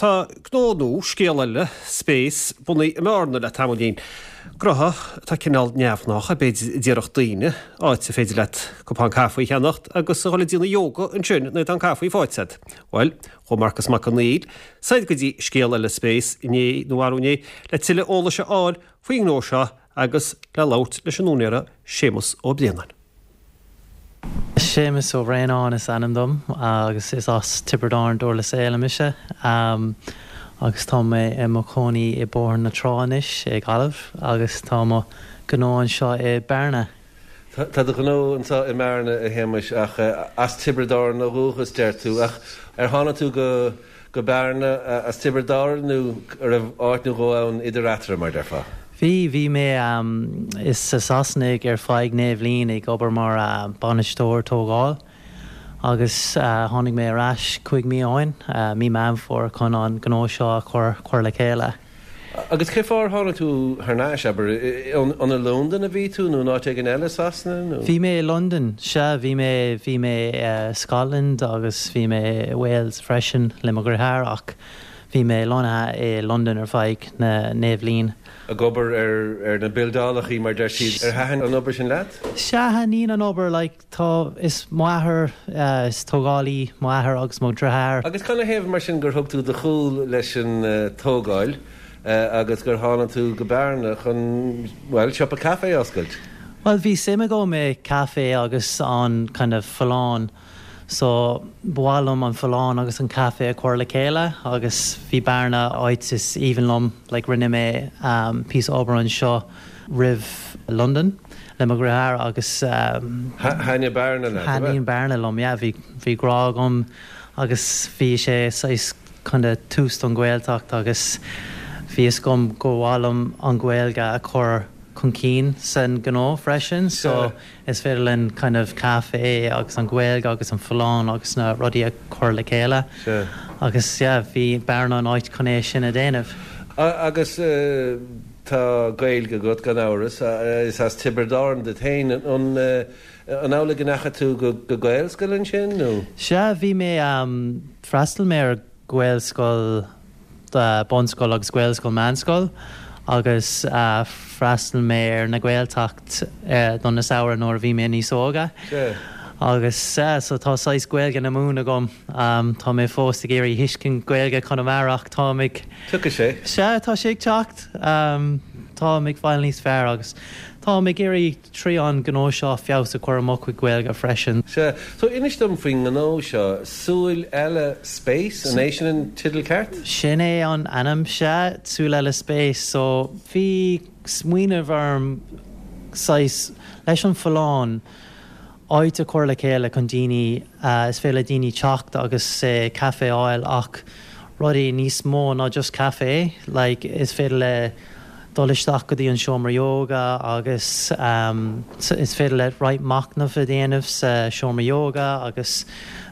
Tá gnó nua, Scéal Eile Space, bunaithe i mBearna le tamaillín. Gnó atá cineál neamhghnách, b'fhéidir, a déarfadh daoine, áit ar féidir leat cupán caife a cheannacht agus a dhul ag déanamh yoga ansin nuair atá an caife faighte agat. Bhuel, chuaigh Marcas Mac Conghail soir go dtí Scéal Eile Space inné nó arú inné le tuilleadh eolais a fháil faoin ngnó seo agus le labhairt leis an úinéara Séamus Ó Braonáin. Séamus Ó Braonáin is ainm dom agus is as Tiobraid Árann Durlas Éile mise agus tá mé i mo chónaí i Bóthar na Trá anois i Gaillimh agus tá mo ghnó anseo i Bearna. Tá do ghnó anseo i mBearna, a Shéamais, ach as Tiobraid Árann ó dhúchas, deir tú. Ach ar tháinig tú go go Bearna as Tiobraid Árann nó an raibh áit nó dhó ann idir eatarthu, mar déarfá? Bhí, bhí mé i Sasana ar feadh 9 bhliain ag obair mar bainisteoir tógáil agus tháinig mé ar ais 5 mí ó shin, mí Meán Fómhair, chun an gnó seo a chur chur le chéile. Agus cé fáth ar tháinig tú thar n-ais, abair, an i Londain a bhí tú nó in áit éigin eile i Sasana nó? Bhí mé i Londain, sea, bhí mé, bhí mé i Scotland agus bhí mé i Wales freisin le mo dheartháir ach bhí mé lonnaithe i Londain ar feadh na naoi bhliain. Ag obair ar, ar na buildeálachaí mar deir siad. Ar thaitin an obair sin leat? Sea, thaitníonn an obair, like, Tá, is m'athair, is tógálaí m'athair agus mo dheartháir. Agus canathaobh mar sin gur thug tú do chúl leis an tógáil agus gur tháinig tú go Bearna chun, bhuel, siopa caife a oscailt? Bhuel, bhí suim agam i caife agus an kind of folláin so ba mhaith liom an folláin agus an caife a chur le chéile agus bhí Bearna áit is aoibhinn liom, like rinne mé píosa obair anseo roimh Londain le mo dheartháir agus. Thaitnigh Bearna leat, ab ea? Thaitníonn Bearna liom, yeah. Bhí, bhí grá agam agus bhí sé saghas kind of tús don Ghaeltacht agus bhí fhios agam gur mhaith liom an Ghaeilge a chur chun cinn san gnó freisin so is féidir linn kind of caife agus an Ghaeilge agus an folláin agus na rudaí a chur le chéile agus yeah bhí Bearna an áit chun é sin a déanamh. Agus Tá Gaeilge agat, gan amhras. Is as Tiobraid Árann duit féin. An amhlaidh go ndeachaigh tú go Gaelscoil ansin nó? Sea, bhí mé, d'fhreastail mé ar Ghaelscoil, bunscoil agus Gaelscoil meánscoil agus d'fhreastail mé ar na Gaeltacht don na samhradh nuair a bhí mé níos óga. Sea. Agus sea, so tá saghas Gaeilge na Mumhan agam. Tá mé fós ag iarraidh thuiscint Gaeilge Chonamara ach táim ag. Tiocfaidh sé. Sea, tá sé ag teacht. Táim ag fáil níos fearr agus táim ag iarraidh trí an gnó seo feabhas a chur ar mo chuid Gaeilge freisin. Sea. So inis dom faoin ngnó seo, Súil Eile Space, an é sin an teideal ceart? Sin é an ainm, sea, Súil Eile Space. So bhí smaoineamh orm saghas, leis an folláin, áit a chur le chéile chun daoine, is féidir le daoine teacht agus caife a fháil ach rudaí níos mó ná just caife, like is féidir le dul isteach go dtí an seomra yoga agus is féidir le roinnt machnamh a dhéanamh sa seomra yoga agus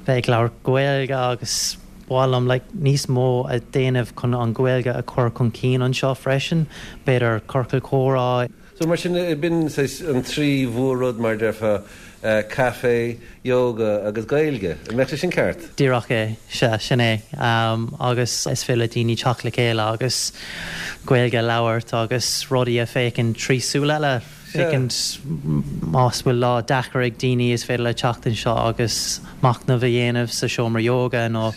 bheith ag labhairt Gaeilge agus ba mhaith liom like níos mó a dhéanamh chun an Ghaeilge a chur chun cinn anseo freisin, b'fhéidir ciorcal comhrá. So mar sin, b'in saghas an trí mhór-rud mar déarfá, caife, yoga agus Gaeilge. An mbeadh sé sin ceart? Díreach é, sea, sin é. Agus is féidir le daoine teacht le chéile agus Gaeilge a labhairt agus rudaí a féachaint trí súil eile, féachaint más bhfuil lá deacair ag daoine is féidir le teacht anseo agus machnamh a dhéanamh sa seomra yoga nó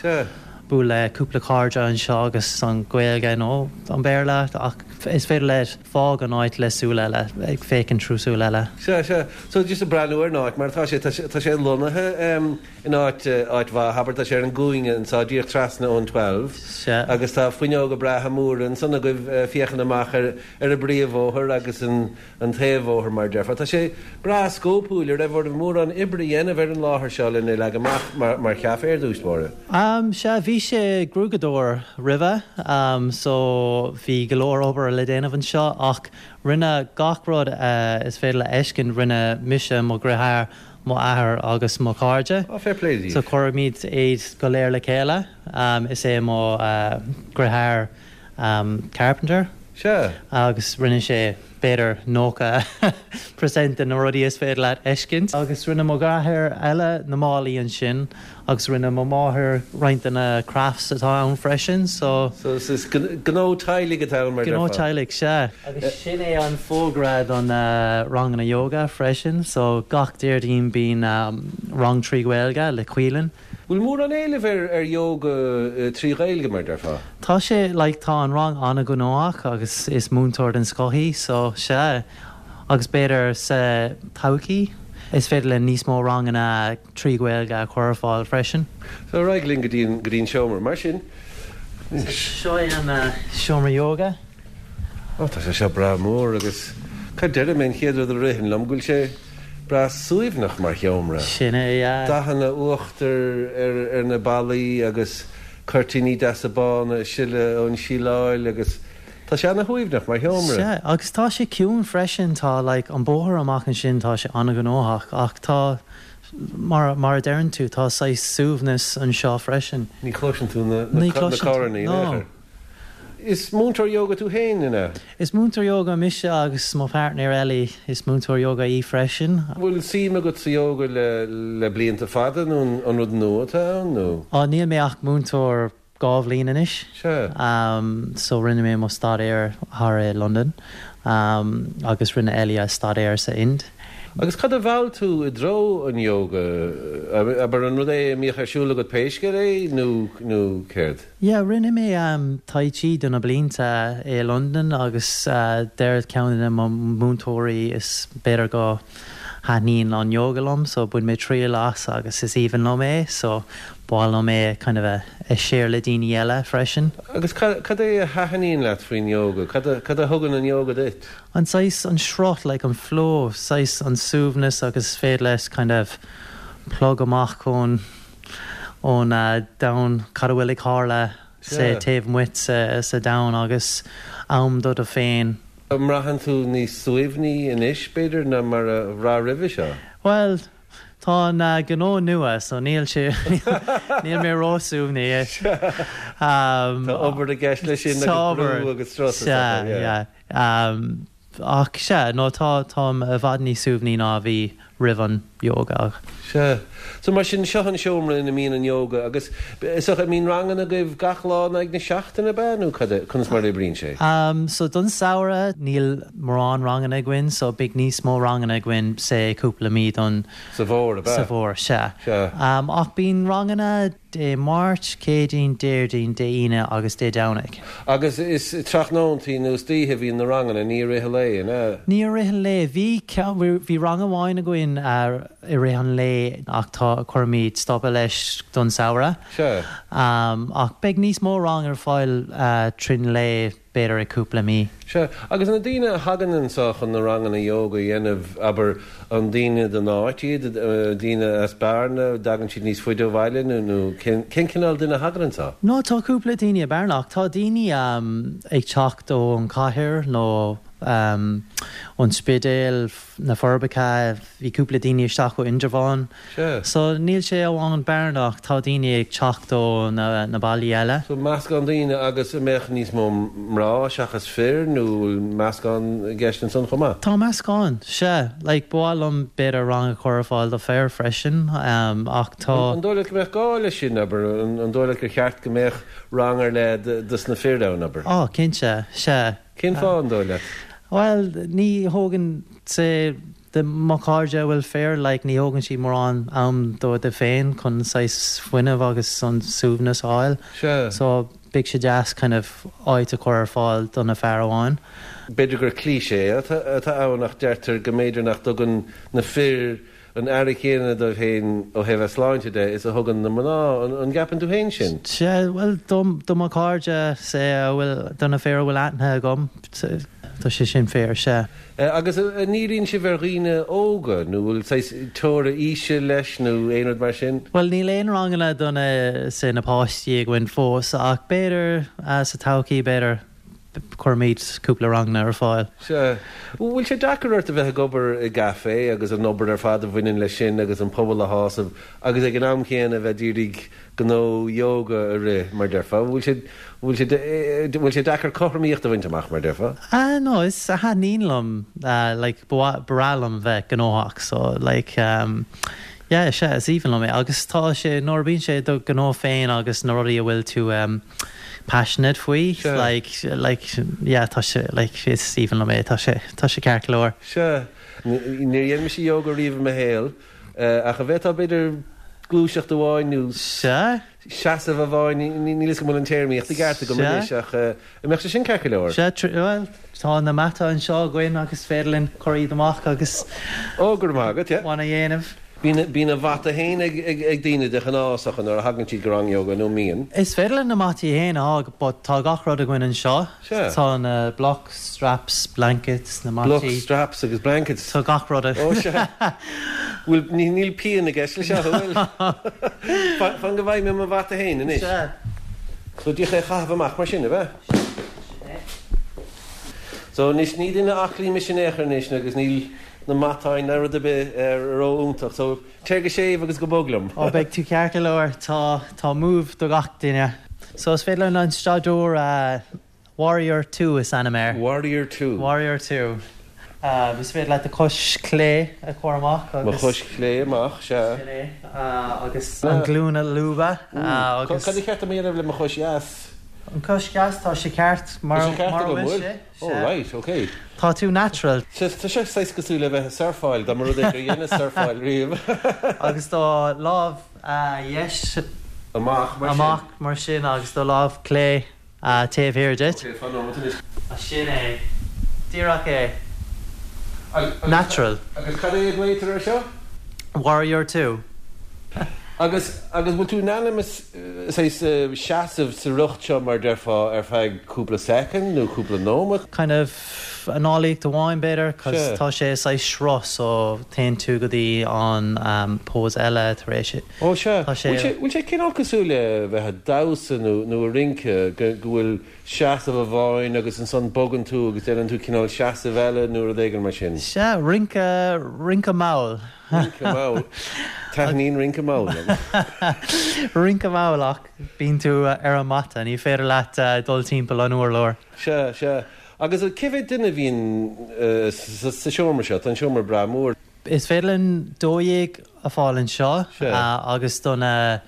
bualadh le cúpla cairde anseo agus an Ghaeilge nó an Béarla ach is féidir le Fág an áit le súil eile, ag féachaint trú súil eile. Sea, sea. So, just ag breathnú ar an áit mar atá sé, tá sé, tá sé lonnaithe in áit, áit mhaith, abair, tá sé ar an gcúinne anso, díreach trasna ón Twelve. Sea. Agus tá fuinneoga breátha móra ansan agaibh féachaint amach ar, ar an bpríomhbhóthar agus an, an taobhbhóthar mar a déarfá. Tá sé breá scópúil. An raibh oraibh mórán oibre a dhéanamh ar an láthair seo lena leagan amach mar, mar chaife ar dtús báire? Sea, bhí sé gruaigeadóir roimhe so bhí go leor obair le déanamh anseo ach rinne gach rud is féidir le fheiscint, rinne mise, mo dheartháir, mo athair agus mo chairde. Á, fair play daoibh. So chuirimid iad go léir le chéile. Is é mo dheartháir carpenter. Sea. Agus rinne sé b'fhéidir 90% de na rudaí is féidir leat fheiscint. Agus rinne mo dheartháir eile na málaí ansin agus rinne mo mháthair roinnt de na crafts atá ann freisin so. So is gnó teaghlaigh atá ann mar Gnó déarfá. teaghlaigh, sea. Agus sin é an fógra do na ranganna yoga freisin so gach Déardaoin bíonn rang 3 Ghaeilge le Caoileann. Bhfuil mórán éilimh ar yoga 3 Ghaeilge, mar déarfá? Tá sé, like, tá an rang an-ghnóthach agus is múinteoir den scoth í, so sea. Agus b'fhéidir sa todhchaí is féidir linn níos mó ranganna 3 Ghaeilge a chur ar fáil freisin. So ar aghaidh linn go dtí an, go dtí an seomra, mar sin. Seo é an seomra yoga. Ó, tá sé seo breá mór agus cad déarfaidh mé, an chéad rud a ritheann liom go bhfuil sé breá suaimhneach mar sheomra. Sin é, yeah. Dathanna uachtair ar ar na ballaí agus cuirtíní deasa bána ag sileadh ón síleáil agus tá sé ana-shuaimhneach mar sheomra. Sea, agus tá sé ciúin freisin, tá like an bóthar amach ansin tá sé an-ghnóthach ach tá mar mar a deireann tú tá saghas suaimhneas anseo freisin. Ní chloiseann tú na na carrannaí in aon chor. Is múinteoir yoga tú féin, an ea? Is múinteoir yoga mise agus mo pháirtnéir Ellie, is múinteoir yoga í freisin. Bhfuil suim agat sa yoga le le blianta fada nó an rud nua atá ann nó? Á, níl mé ach múinteoir 2 bhliain anois. Sea. So rinne mé mo staidéar thar i Londain agus rinne Ellie a staidéar sa Ind. Agus cad a mheall tú i dtreo an yoga? Abair, an rud é a mbíodh ar siúl agat pé scéal é nó nó céard? Yeah, rinne mé Tai Chi do na blianta i Londain agus deir ceann de mo mhúinteoirí is b'fhéidir go thaitníonn an yoga liom so bhain mé triail as agus is aoibhinn liom é so ba mhaith liom é kind of a a share le daoine eile freisin. Agus cad é a thaitníonn leat faoin yoga? Cad a cad a thugann an yoga duit? An saghas, an sruth, like an flow, saghas an suaimhneas agus is féidir leat kind of plug amach ón ón domhan, cad a bhfuil ag tharla sa taobh amuigh sa domhan agus am do do féin. An mbraitheann tú níos suaimhní anois, b'fhéidir, ná mar a bhraith roimhe seo? Bhuel, tá an gnó nua so níl sé, níl mé ró-suaimhní. Tá obair i gceist leis sin agus brú agus strus is dócha, yeah. Sea, yeah. Ach sea, no tá, táim i bhfad níos suaimhní ná a bhí roimh an yoga. Sea. So mar sin, seo an seomra ina mbíonn an yoga agus is dócha, an mbíonn ranganna agaibh gach lá in aghaidh na seachtaine, ab ea, nó cad é, conas mar a oibríonn sé? So don samhradh níl mórán ranganna againn so beidh níos mó ranganna againn say cúpla mí don. Sa bhfómhar, ab ea? Sa bhfómhar, sea. Sea. Ach bíonn ranganna. Dé Máirt, Céadaoin, Déardaoin, Dé hAoine agus Dé Domhnaigh. Agus is tráthnóntaí nó istoíche a bhíonn na ranganna, ní i rith an lae, an ea? Ní i rith an lae. Bhí ceann, bhí rang amháin againn i rith an lae ach tá, cuirimid stopadh leis don samhradh. Sea. Ach beidh níos mó rang ar fáil tríd an lae. b'fhéidir i cúpla mí. Sea, agus na daoine a thagann anso chun na ranganna ióga a dhéanamh, abair, an daoine den áit iad, daoine as Bearna, dtagann siad níos faide ó bhaile nó, nó cén, cén cineál duine a thagann anso? No, tá cúpla daoine i Bearna ach tá daoine ag teacht ón chathair nó ón Spidéal, na Forbacha, bhí cúpla daoine isteach ó Indreabhán. Sea. So níl sé amháin Bearna ach tá daoine ag teacht ó na na bailí eile. So meascán daoine agus an mbeadh níos mó mná seachas fir nó bhfuil meascán i gceist ansan chomh maith? Tá meascán, sea. Like ba mhaith liom b'fhéidir rang a chur ar fáil do fir freisin ach tá. An dóigh leat go mbeadh gá leis sin, abair, an dóigh leat gur cheart go mbeadh rang ar leith dos na fir ann, abair? Á, cinnte, sea. Cén fáth, an dóigh leat? Bhuel, ní thógann sé, de mo chairde a bhfuil fir, like, ní thógann siad mórán am dóibh féin chun saghas fuinneamh agus an suaimhneas a fháil. Sea. So, beidh sé deas kind of áit a chur ar fáil do na fear amháin. B'fhéidir gur cliché atá ann ach deirtear go mb'fhéidir nach dtugann na fir an aire chéanna dóibh féin ó thaobh a sláinte de is a thugann na mná. An gceapann tú féin sin? Sea, bhuel, do mo chairde, say, a bhfuil, do na fir a bhfuil aithne agam, tá sé sin fíor, sea. Agus an ndíríonn sibh ar dhaoine óga nó bhfuil saghas teora aoise leis nó aon rud mar sin? Bhuel, níl aon ranganna do na, say, na páistí againn fós ach b'fhéidir sa todhchaí, b'fhéidir. Cuirimid cúpla ranganna ar fáil. Sea. Bhfuil sé deacair ort a bheith ag obair i gcaifé agus an obair ar fad a bhaineann leis sin agus an pobal a shásamh agus ag an am chéanna a bheith d'iarraidh gnó ióga a rith, mar déarfá? Bhfuil sé, bhfuil sé, bhfuil sé deacair cothromaíocht a bhaint amach, mar déarfá? Ah no, is, thaitníonn liom, like, ba mhaith, ba bhreá liom bheith gnóthach so like, yeah, sea, is aoibhinn liom é agus tá sé, nuair a bíonn sé do ghnó féin agus na rudaí a bhfuil tú, passionate faoi like like yeah tá sé like is aoibhinn liom é tá sé tá sé ceart go leor. Sea. Níor dhein mise yoga riamh i mo shaol ach an bhféadfá b'fhéidir gluaiseacht amháin nó Sea. seasamh amháin, níl fhios agam an bhfuil an téarmaíocht i gceart agam anois ach an mbeadh sé sin ceart go leor? Sea, bhuel tá na mataí anseo againn agus féidir linn cur iad amach agus Ó, go raibh maith agat, yeah. one a dhéanamh. Bíonn a mhata féin ag daoine de ghnáth is dócha nuair a thagann siad go rang ióga, nó an mbíonn? Is féidir linn na mataí féin a fháil but tá gach rud againn anseo. Sea. Tá na blocks, straps, blankets, na mataí. Blocks, straps agus blankets. Tá gach rud. Ó sea. Bhfuil, níl pian i gceist leis seo, an bhfuil? Fan go bhfaighidh mé mo mhata féin anois. Sea. So díreach é a chaitheamh amach mar sin, ab ea? Sin é. So anois ní duine aclaí mise in aon chor anois agus níl na matáin ná rud ar bith ró-fhiúntach so téir go séimh agus go bog liom. Ó beidh tú ceart go leor, tá tá move do gach duine. So is féidir linn an staidiúir Warrior 2 is ainm air. Warrior 2. Warrior 2. Is féidir leat do chois clé a chur amach agus. Mo chois chlé amach, sea. Sin é. Agus an glúin a lúbadh agus. Cad ba cheart dom a dhéanamh le mo chois dheas? An chois dheas, tá sé ceart mar a bhfuil sé. Oh right, ok. Tá tú natural. Tá sé saghas cosúil le bheith ag surfáil, dá mba rud é gur dheineas surfáil riamh. Agus do lámh dheis amach mar sin. Amach mar sin agus do lámh clé taobh thiar duit. Ok, fan nóiméad anois. Sin é. Díreach é. Natural. Agus cad é a ghlaotar air seo? Warrior 2. Agus, agus bhfuil tú in ainm is saghas seasamh sa riocht seo mar déarfá ar feadh cúpla soicind nó cúpla nóiméad? Kind of análaíocht amháin b'fhéidir cos tá sé saghas sruth so téann tú go dtí an pose eile tar éis Ó sea. Tá sé. Bhfuil sé cineál cosúil le bheith ag damhsa nó nó ag rince go go bhfuil seasamh amháin agus ansan bogann tú agus déanann tú cineál seasamh eile nó rud éigin mar sin? Sea, rince, rince mall. Rince mall. Taitníonn rince mall liom. Rince mall ach bíonn tú ar an mata, ní féidir leat dul timpeall an urláir. Sea, sea. Agus cé mhéad duine a bhíonn sa seomra seo? Tá an seomra breá mór. Is féidir linn 12 a fáil anseo agus do na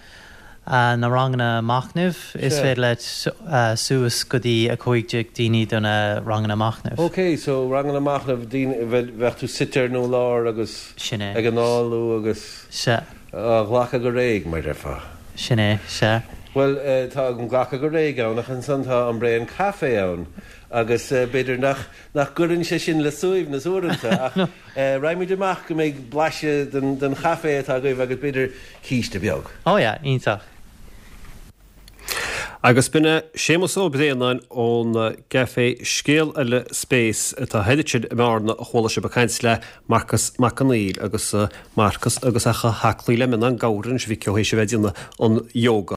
na ranganna machnaimh is féidir leat suas go dtí 15 daoine do na ranganna machnaimh. Ok, so ranganna machnaimh, daoine, bheadh tú suite ar an urlár agus Sin é. ag análú agus Sea. á ghlacadh go réidh, mar déarfá. Sin é, sea. Bhuel, tá an glacadh go réidh ann ach ansan tá an Braon Caife ann agus b'fhéidir nach, nach gcuireann sé sin le suaimhneas uaireanta ach raghaimid amach go mbeidh blaiseadh den, den chaife atá agaibh agus b'fhéidir císte beag. Oh yeah, iontach. Agus b'in é Séamus Ó Braonáin ón gcaifé Scéal Eile Space atá thoir ansin i mBearna a chuala sibh ag caint le Marcas Mac Conghail agus Marcas agus é chomh haclaí le mionnán gabhair anois a mhic ó théis a bheith ag déanamh an yoga.